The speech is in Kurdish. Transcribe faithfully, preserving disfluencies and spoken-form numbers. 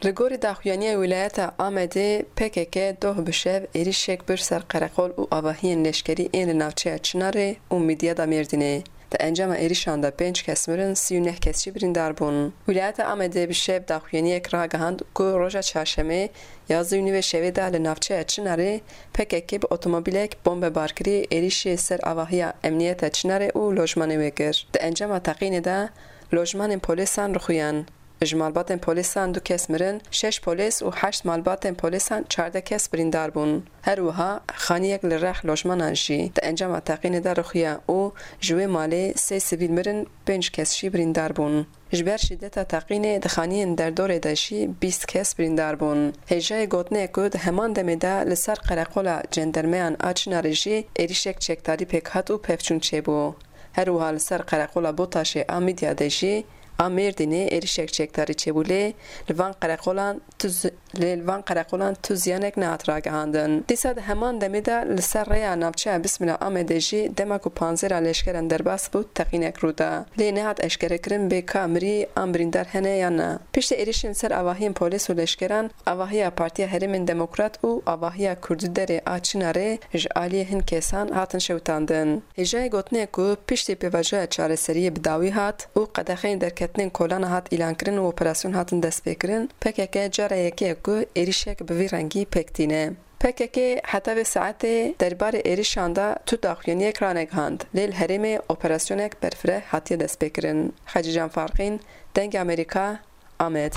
Li gorî daxuyaniyê wîlayeta Amedê, P K K doh bi şev êrîşek bir ser qereqol û avahiyên leşkerî ên li navçeya Çinarê û Midyada Mêrdînê. Di encama êrîşan de pênc kes mirin, sî û neh kes jî birîndar bûn. Wîlayeta Amedê bi şev daxuyaniyek ragihand ku roja çarşemê, yazdî û nîvê şevê de li navçeya Çinarê P K K bi otomobîlek bombe barkirî êrîşê ser avahiya emniyeta Çinarê û lojmanê wê kir. Di encama teqînê de lojmanên polîsan rixuyan. Ji malbatên polîsan du kes mirin, şeş polîs û heşt malbatên polîsan çardeh kes birîndar bûn. Her wiha xaniyek li rex lojmanan jî di encama teqînê de rixiya û ji wê malê sê sivîl mirin, pênc kes jî birîndar bûn. Ji ber şîdeta teqînê di xaniyên derdorê de jî bîst kes birîndar bûn. Hêjayê gotinê ku di heman demê de li ser qereqola cendermeyan a Çinarê jî êrîşek çekdarî pêk hat û pevçûn çêbû. Her wiha li ser qereqola Botaşê a Midyadê jî a Mêrdînê êrîşek çekdarî çêbû, lê li van qereqolan tu zi-, lê li van qereqolan tu ziyanek nehat ragihandin. Dîsa di heman demê de li ser rêya navçeya Bismila Amedê jî dema ku panzêra leşkeran derbas bû, teqînek rû da. Lê nehat eşkerekirin bê ka mirî an birîndar hene yan na. Piştî êrîşên li ser avahiyên polîs û leşkeran, avahiya Partiya Herêmên Demokrat û avahiya Kurdî Derê a Çinarê ji aliyê hin kesan hatin şewitandin. Hêjayê gotinê ku piştî pêvajoya çareseriyê bi dawî hat û qedexeyên derketinên kolana hat îlankirin û operasyon hatin destpêkirin, P K K cara yekê ye ku êrîşek bi vî rengî pêk tîne. P K K heta vê saetê derbarê êrîşan de tu daxuyaniyek ranegihand, lê li herêmê operasyonek berfireh hatiye destpêkirin. Xecîcan Farqîn, Dengê Amerîka, Amed.